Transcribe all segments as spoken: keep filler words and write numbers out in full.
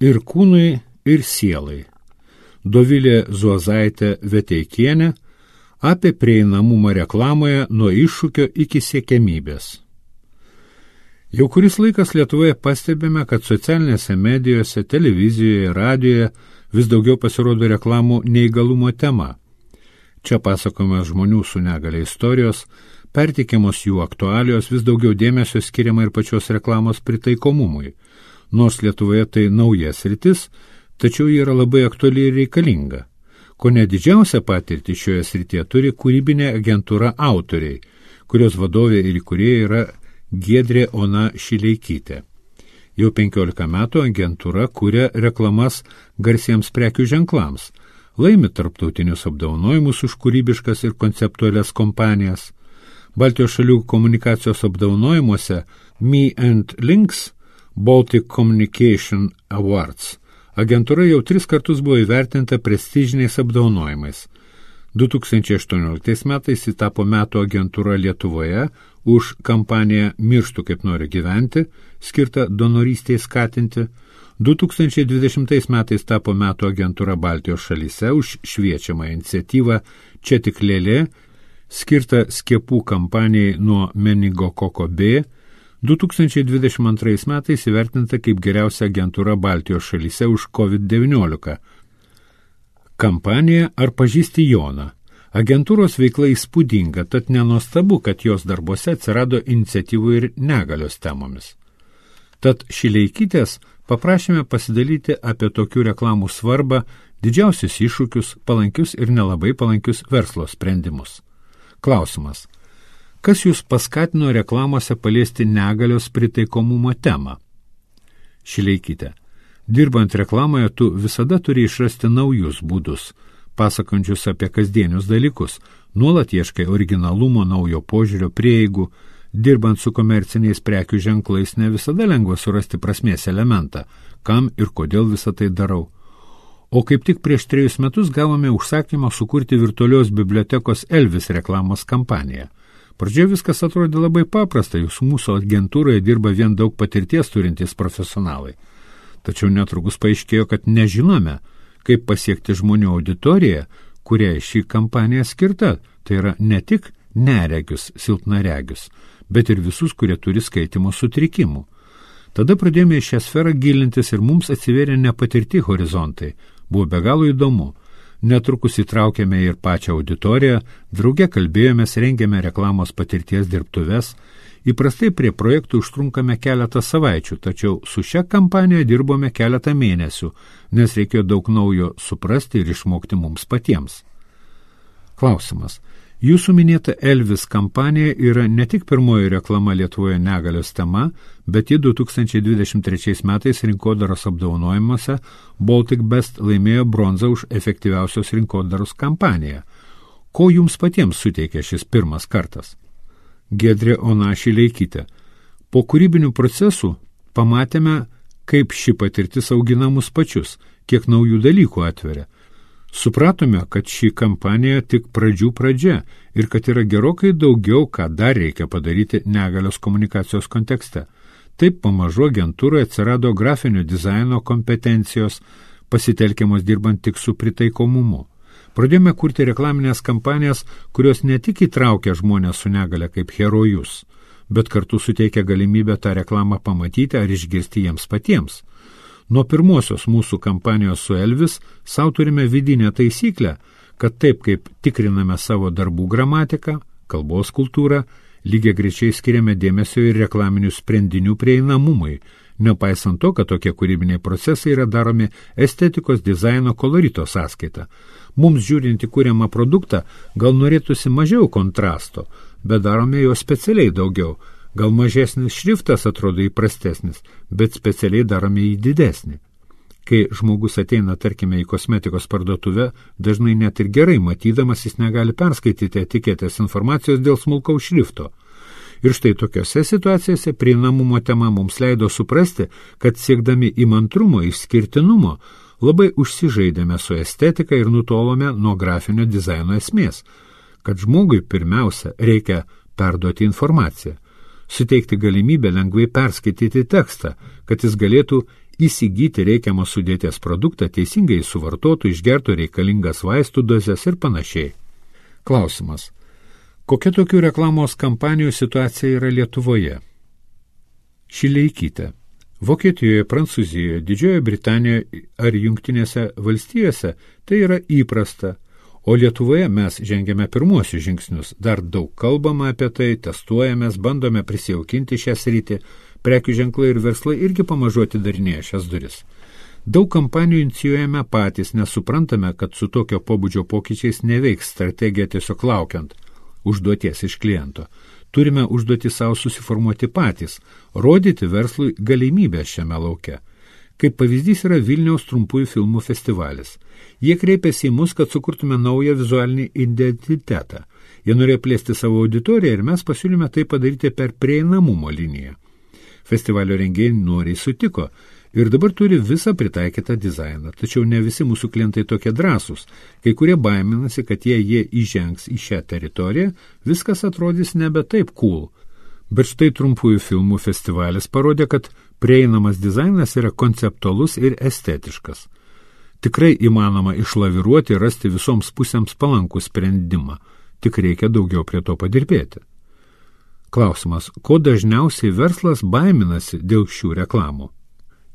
Ir kūnui, ir sielai. Dovilė Zuozaitė Veteikienė apie prieinamumą reklamoje nuo iššūkio iki siekiamybės. Jau kuris laikas Lietuvoje pastebime, kad socialinėse medijose, televizijoje, radijoje vis daugiau pasirodo reklamų neįgalumo tema. Čia pasakojame žmonių su negalia istorijos, perteikiamos jų aktualijos, vis daugiau dėmesio skiriama ir pačios reklamos pritaikomumui. Nors Lietuvoje tai naujas sritis, tačiau ji yra labai aktuali ir reikalinga. Kone didžiausią patirtį šioje srityje turi kūrybinė agentūra Autoriai, kurios vadovė ir įkūrėja yra Giedrė Ona Šileikytė. Jau penkiolika metų agentūra kuria reklamas garsiems prekių ženklams, laimi tarptautinius apdovanojimus už kūrybiškas ir konceptualias kompanijas. Baltijos šalių komunikacijos apdovanojimuose Me and Links Baltic Communication Awards agentūra jau tris kartus buvo įvertinta prestižiniais apdovanojimais. du tūkstančiai aštuonioliktais metais ji tapo metų agentūra Lietuvoje už kampaniją Mirštu kaip noriu gyventi, skirtą donorystei skatinti. du tūkstančiai dvidešimtais metais tapo metų agentūra Baltijos šalyse už šviečiamą iniciatyvą Čia tik lėlė, skirtą skiepų kampanijai nuo meningokoko B. du tūkstančiai dvidešimt antrais metais įvertinta kaip geriausia agentūra Baltijos šalyse už kovid devyniolika. Kampanija Ar pažįsti Joną? Agentūros veikla įspūdinga, tad nenuostabu, kad jos darbuose atsirado iniciatyvų ir negalios temomis. Tad Šileikytės paprašėme pasidalyti apie tokių reklamų svarbą, didžiausius iššūkius, palankius ir nelabai palankius verslo sprendimus. Klausimas. Kas jūs paskatino reklamose paliesti negalios pritaikomumo temą? Šileikytė. Dirbant reklamoje, tu visada turi išrasti naujus būdus, pasakančius apie kasdienius dalykus, nuolat ieškai originalumo, naujo požiūrio, prieigų. Dirbant su komerciniais prekių ženklais ne visada lengva surasti prasmės elementą, kam ir kodėl visą tai darau. O kaip tik prieš trejus metus gavome užsakymą sukurti virtualios bibliotekos Elvis reklamos kampaniją. Pradžioje viskas atrodė labai paprasta, jūs mūsų agentūroje dirba vien daug patirties turintys profesionalai. Tačiau netrukus paaiškėjo, kad nežinome, kaip pasiekti žmonių auditoriją, kuriai šį kampaniją skirta. Tai yra ne tik neregius, silpnaregius, bet ir visus, kurie turi skaitymo sutrikimų. Tada pradėjome į šią sferą gilintis ir mums atsivėrė nepatirti horizontai. Buvo be galo įdomu. Netrukus įtraukėme ir pačią auditoriją, drauge kalbėjomės, rengėme reklamos patirties dirbtuves. Įprastai prie projektų užtrunkame keletą savaičių, tačiau su šia kampanija dirbome keletą mėnesių, nes reikėjo daug naujo suprasti ir išmokti mums patiems. Klausimas. Jūsų minėta Elvis kampanija yra ne tik pirmoji reklama Lietuvoje negalios tema, bet ji du tūkstančiai dvidešimt trečiais metais rinkodaros apdovanojimuose Baltic Best laimėjo bronzą už efektyviausios rinkodaros kampaniją. Ko jums patiems suteikė šis pirmas kartas? Giedrė Ona Šileikytė. Po kūrybinių procesų pamatėme, kaip ši patirtis augina mus pačius, kiek naujų dalykų atveria. Supratome, kad ši kampanija tik pradžių pradžia ir kad yra gerokai daugiau, ką dar reikia padaryti negalios komunikacijos kontekste. Taip pamažu agentūroje atsirado grafinio dizaino kompetencijos, pasitelkiamos dirbant tik su pritaikomumu. Pradėjome kurti reklaminės kampanijas, kurios ne tik įtraukia žmonės su negale kaip herojus, bet kartu suteikia galimybę tą reklamą pamatyti ar išgirsti jiems patiems. Nuo pirmosios mūsų kampanijos su Elvis sau turime vidinę taisyklę, kad taip kaip tikriname savo darbų gramatiką, kalbos kultūrą, lygiai greičiai skiriame dėmesio ir reklaminių sprendinių prieinamumui, nepaisant to, kad tokie kūrybiniai procesai yra daromi estetikos, dizaino, kolorito sąskaita. Mums žiūrint į kūriamą produktą, gal norėtųsi mažiau kontrasto, bet darome jo specialiai daugiau. Gal mažesnis šriftas atrodo įprastesnis, bet specialiai darome jį didesnį. Kai žmogus ateina, tarkime, į kosmetikos parduotuvę, dažnai net ir gerai matydamas jis negali perskaityti etiketės informacijos dėl smulkaus šrifto. Ir štai tokiose situacijose prieinamumo tema mums leido suprasti, kad siekdami įmantrumo, išskirtinumo, labai užsižaidėme su estetika ir nutolome nuo grafinio dizaino esmės, kad žmogui pirmiausia reikia perduoti informaciją, suteikti galimybę lengvai perskaityti tekstą, kad jis galėtų įsigyti reikiamą sudėties produktą, teisingai suvartotų, išgertų reikalingas vaistų dozes ir panašiai. Klausimas. Kokia tokių reklamos kampanijų situacija yra Lietuvoje? Šileikytė. Vokietijoje, Prancūzijoje, Didžiojoje Britanijoje ar Jungtinėse valstijose tai yra įprasta, o Lietuvoje mes žengiame pirmuosius žingsnius. Dar daug kalbama apie tai, testuojamės, bandome prisijaukinti šią sritį, prekių ženklai ir verslai irgi pamažu atidarinėja šias duris. Daug kampanijų inicijuojame patys, nes suprantame, kad su tokio pobūdžio pokyčiais neveiks strategija tiesiog laukiant užduoties iš kliento. Turime užduoti savo susiformuoti patys, rodyti verslui galimybę šiame lauke. Kaip pavyzdys yra Vilniaus trumpųjų filmų festivalis. Jie kreipėsi į mus, kad sukurtume naują vizualinį identitetą. Jie norėjo plėsti savo auditoriją ir mes pasiūlėme tai padaryti per prieinamumo liniją. Festivalio rengėjai noriai sutiko ir dabar turi visą pritaikytą dizainą. Tačiau ne visi mūsų klientai tokie drąsūs. Kai kurie baiminasi, kad jei jie įžengs į šią teritoriją, viskas atrodys nebe taip cool. Bet štai trumpųjų filmų festivalis parodė, kad prieinamas dizainas yra konceptualus ir estetiškas. Tikrai įmanoma išlaviruoti ir rasti visoms pusėms palankų sprendimą. Tik reikia daugiau prie to padirbėti. Klausimas, ko dažniausiai verslas baiminasi dėl šių reklamų?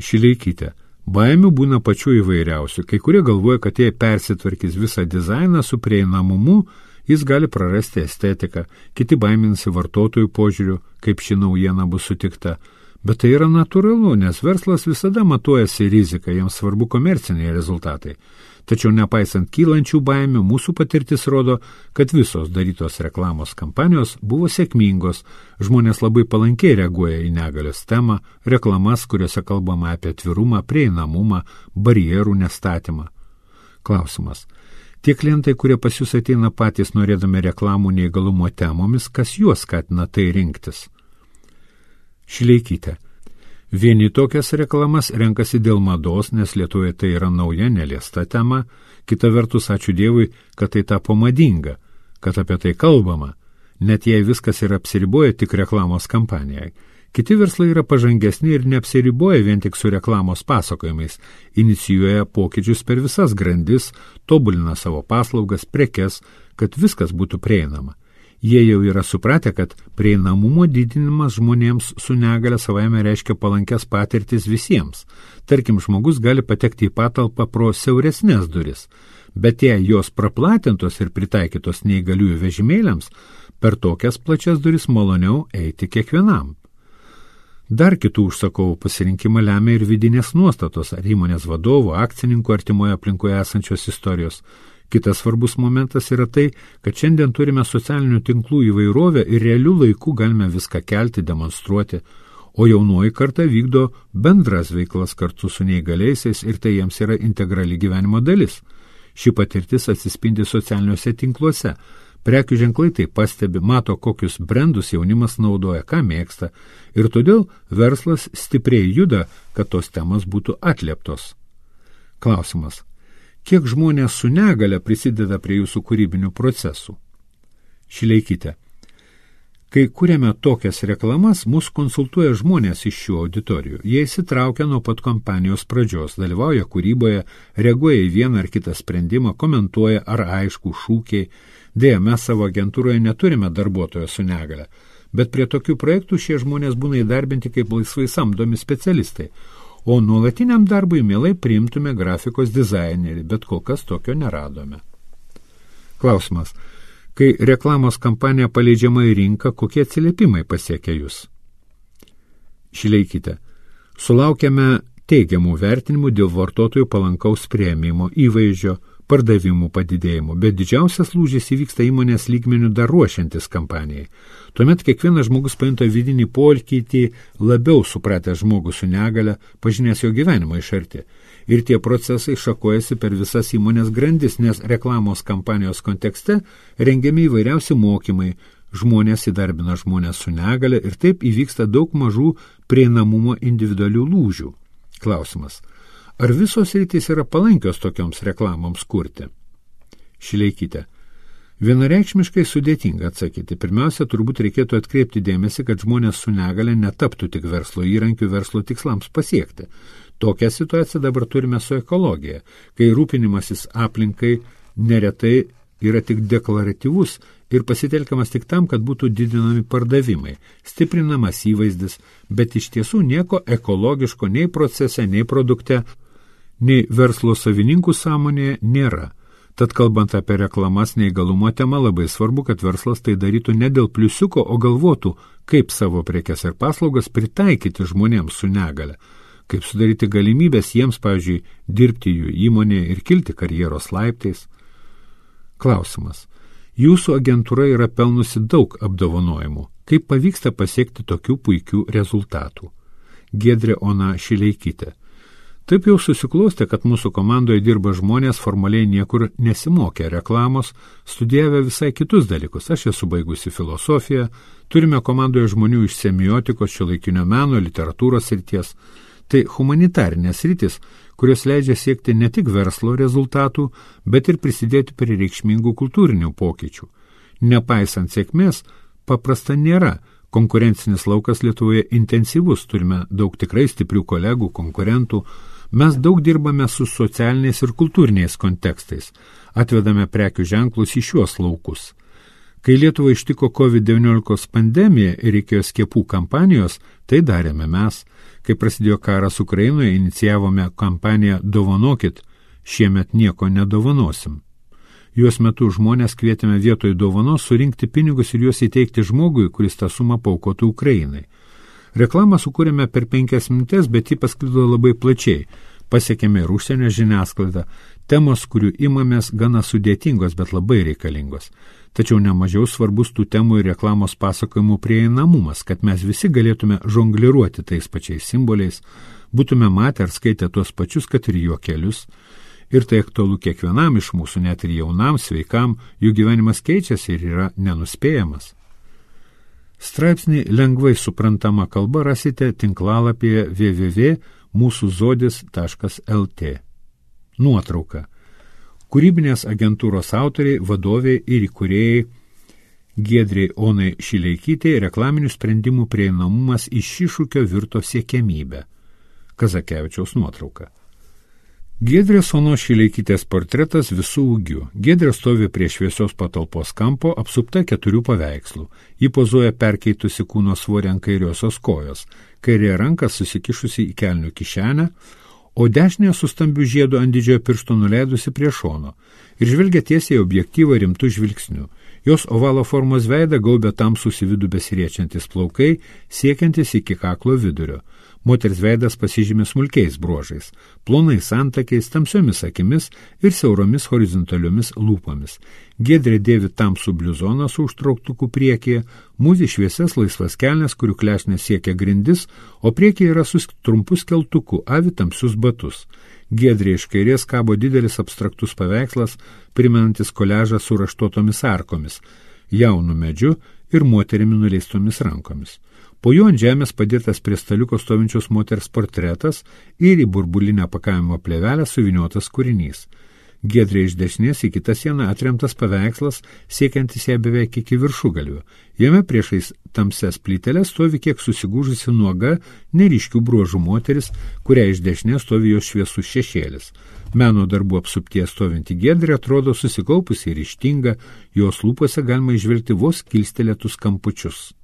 Šileikytė. Baimių būna pačių įvairiausių. Kai kurie galvoja, kad jei persitvarkys visą dizainą su prieinamumu, jis gali prarasti estetiką. Kiti baiminasi vartotojų požiūrių, kaip ši naujiena bus sutikta. Bet tai yra natūralu, nes verslas visada matuojasi riziką, jiems svarbu komerciniai rezultatai. Tačiau nepaisant kylančių baimių, mūsų patirtis rodo, kad visos darytos reklamos kampanijos buvo sėkmingos, žmonės labai palankiai reaguoja į negalios temą, reklamas, kuriuose kalbama apie atvirumą, prieinamumą, barjerų nestatymą. Klausimas. Tie klientai, kurie pas jūs ateina patys norėdami reklamų neįgalumo temomis, kas juos skatina tai rinktis? Šileikytė. Vieni tokias reklamas renkasi dėl mados, nes Lietuvoje tai yra nauja, neliesta tema. Kita vertus, ačiū Dievui, kad tai tapo madinga, kad apie tai kalbama, net jei viskas yra apsiriboja tik reklamos kampanijai. Kiti verslai yra pažangesni ir neapsiriboja vien tik su reklamos pasakojimais, inicijuoja pokyčius per visas grandis, tobulina savo paslaugas, prekes, kad viskas būtų prieinama. Jie jau yra supratę, kad prieinamumo didinimas žmonėms su negale savaime reiškia palankės patirtis visiems. Tarkim, žmogus gali patekti į patalpą pro siauresnės duris, bet jei jos praplatintos ir pritaikytos neįgaliųjų vežimėliams, per tokias plačias duris maloniau eiti kiekvienam. Dar kitų užsakovų pasirinkimą lemia ir vidinės nuostatos ar įmonės vadovų, akcininkų artimoje aplinkoje esančios istorijos. Kitas svarbus momentas yra tai, kad šiandien turime socialinių tinklų įvairovę ir realių laikų galime viską kelti, demonstruoti, o jaunoji karta vykdo bendras veiklas kartu su neįgaliaisiais ir tai jiems yra integrali gyvenimo dalis. Ši patirtis atsispindi socialiniuose tinkluose. Prekių ženklai tai pastebi, mato, kokius brandus jaunimas naudoja, ką mėgsta, ir todėl verslas stipriai juda, kad tos temos būtų atlieptos. Klausimas. Kiek žmonės su negale prisideda prie jūsų kūrybinių procesų? Šileikytė. Kai kuriame tokias reklamas, mus konsultuoja žmonės iš šių auditorijų. Jie įsitraukia nuo pat kampanijos pradžios, dalyvauja kūryboje, reaguoja į vieną ar kitą sprendimą, komentuoja ar aišku šūkiai. Deja, mes savo agentūroje neturime darbuotojo su negale, bet prie tokių projektų šie žmonės būna įdarbinti kaip laisvai samdomi specialistai, o nuolatiniam darbui mielai priimtume grafikos dizainerį, bet kol kas tokio neradome. Klausimas. Kai reklamos kampanija paleidžiama į rinką, kokie atsiliepimai pasiekia jūs? Šileikytė. Sulaukiame teigiamų vertinimų dėl vartotojų palankaus priėmimo, įvaizdžio, pardavimų padidėjimo, bet didžiausias lūžis įvyksta įmonės lygmenių dar ruošiantis kampanijai. Tuomet kiekvienas žmogus pajunta vidinį pokytį, labiau supratę žmogų su negale, pažinęs jo gyvenimą iš arti. Ir tie procesai šakojasi per visas įmonės grandis, nes reklamos kampanijos kontekste rengiami įvairiausi mokymai, žmonės įdarbina žmonės su negale ir taip įvyksta daug mažų prieinamumo individualių lūžių. Klausimas. Ar visos rytis yra palankios tokioms reklamoms kurti? Šileikytė. Vienareikšmiškai sudėtinga atsakyti. Pirmiausia, turbūt reikėtų atkreipti dėmesį, kad žmonės su negale netaptų tik verslo įrankių verslo tikslams pasiekti. Tokią situaciją dabar turime su ekologija, kai rūpinimasis aplinkai neretai yra tik deklaratyvus ir pasitelkiamas tik tam, kad būtų didinami pardavimai, stiprinamas įvaizdis, bet iš tiesų nieko ekologiško nei procese, nei produkte, nei verslo savininkų sąmonėje nėra. Tad kalbant apie reklamas neįgalumo temą, labai svarbu, kad verslas tai darytų ne dėl pliusiuko, o galvotų, kaip savo prekes ir paslaugas pritaikyti žmonėms su negale, kaip sudaryti galimybės jiems, pavyzdžiui, dirbti jų įmonėje ir kilti karjeros laiptais. Klausimas. Jūsų agentūra yra pelnusi daug apdovanojimų. Kaip pavyksta pasiekti tokių puikių rezultatų? Giedrė Ona Šileikytė. Taip jau susiklostė, kad mūsų komandoje dirba žmonės formaliai niekur nesimokė reklamos, studijavę visai kitus dalykus. Aš esu baigusi filosofiją, turime komandoje žmonių iš semiotikos, šiuolaikinio meno, literatūros srities. Tai humanitarinės sritis, kurios leidžia siekti ne tik verslo rezultatų, bet ir prisidėti prie reikšmingų kultūrinių pokyčių. Nepaisant sėkmės, paprasta nėra. Konkurencinis laukas Lietuvoje intensyvus, turime daug tikrai stiprių kolegų, konkurentų. Mes daug dirbame su socialiniais ir kultūriniais kontekstais, atvedame prekių ženklus į šiuos laukus. Kai Lietuvą ištiko kovid devyniolika pandemija ir reikėjo skiepų kampanijos, tai darėme mes. Kai prasidėjo karas Ukrainoje, inicijavome kampaniją Dovanokit, šiemet nieko nedovanosim. Jos metu žmonės kvietėme vietoj dovanos surinkti pinigus ir juos įteikti žmogui, kuris tą sumą paaukotų Ukrainai. Reklamą sukūrėme per penkias minutės, bet ji pasklido labai plačiai. Pasiekėme ir užsienio žiniasklaidą. Temos, kurių imamės, gana sudėtingos, bet labai reikalingos. Tačiau nemažiau svarbus tų temų ir reklamos pasakojimų prieinamumas, kad mes visi galėtume žongliruoti tais pačiais simboliais, būtume matę ar skaitę tuos pačius, kad ir juokelius. Ir tai aktualu kiekvienam iš mūsų, net ir jaunam, sveikam, jų gyvenimas keičiasi ir yra nenuspėjamas. Straipsnį lengvai suprantama kalba rasite tinklalapyje w w w taškas mūsų zodis taškas l t. Nuotrauka. Kūrybinės agentūros autoriai, vadovai ir įkūrėjai Giedrei Onai Šileikytei reklaminių sprendimų prieinamumas iš iššūkio virto siekiamybę. Kazakevičiaus nuotrauka. Giedrės Onos Šileikytės portretas visų ūgių. Giedrė stovi prie šviesios patalpos kampo, apsupta keturių paveikslų. Ji pozuoja perkeitusi kūno svorį ant kairiosios kojos, kairė ranka susikišusi į kelnių kišenę, o dešinė su stambiu žiedu ant didžiojo piršto nuleidusi prie šono ir žvelgia tiesiai objektyvą rimtų žvilgsnių. Jos ovalo formos veidą gaubia tamsūs į vidų besiriečiantis plaukai, siekiantis iki kaklo vidurio. Moters veidas pasižymė smulkiais bruožais, plonais antakiais, tamsiomis akimis ir siauromis horizontaliomis lūpomis. Giedrė dėvi tamsų bliuzoną su užtrauktuku priekyje, mūvi šviesias laisvas kelnes, kurių klešnės siekia grindis, o priekyje yra su trumpu skeltuku, avi tamsius batus. Giedrė iš kairės kabo didelis abstraktus paveikslas, primenantis koliažą su raštuotomis arkomis, jaunu medžiu ir moterimi nuleistomis rankomis. Po juo ant žemės padėtas prie staliuko stovinčios moters portretas ir į burbulinę pakavimo plėvelę suvyniotas kūrinys. Giedrė iš dešinės į kitą sieną atremtas paveikslas, siekiantis ją beveik iki viršugalvio. Jame priešais tamsias plyteles stovi kiek susigūžusi nuoga, neryškių bruožų moteris, kuria iš dešinės stovi jos šviesus šešėlis. Meno darbų apsuptie stovinti Giedrė atrodo susikaupusi ir ryžtinga, jos lūpose galima išvelgti vos kilstelėtus kampučius.